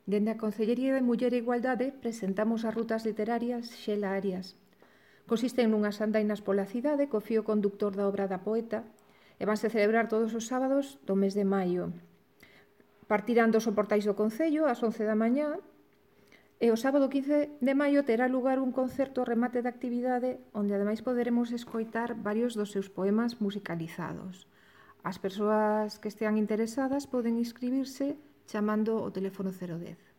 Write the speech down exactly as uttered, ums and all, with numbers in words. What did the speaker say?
Dende a Concellería de Muller e Igualdade presentamos as rutas literarias Xela Arias. Consisten nunhas andainas pola cidade co fío conductor da obra da poeta e vanse celebrar todos os sábados do mes de maio. Partirán dos soportais do Concello ás once da mañá e o sábado quince de maio terá lugar un concerto remate da actividade onde ademais poderemos escoitar varios dos seus poemas musicalizados. As persoas que estean interesadas poden inscribirse chamando o teléfono cero dez.